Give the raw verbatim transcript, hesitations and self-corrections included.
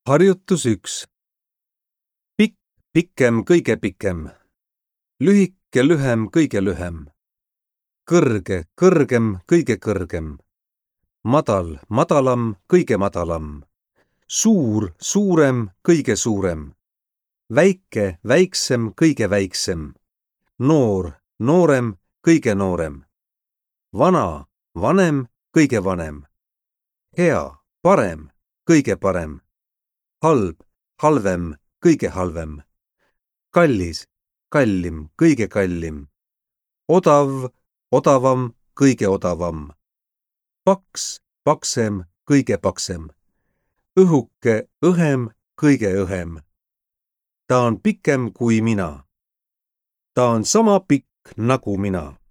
Harjutus üks. Pikk, pikem, kõige pikem. Lühike, lühem, kõige lühem. Kõrge, kõrgem, kõige kõrgem. Madal, madalam, kõige madalam. Suur, suurem, kõige suurem. Väike, väiksem, kõige väiksem. Noor, noorem, kõige noorem. Vana, vanem, kõige vanem. Hea, parem, kõige parem. Halb, halvem, kõige halvem. Kallis, kallim, kõige kallim. Odav, odavam, kõige odavam. Paks, paksem, kõige paksem. Õhuke, õhem, kõige õhem. Ta on pikem kui mina. Ta on sama pikk nagu mina.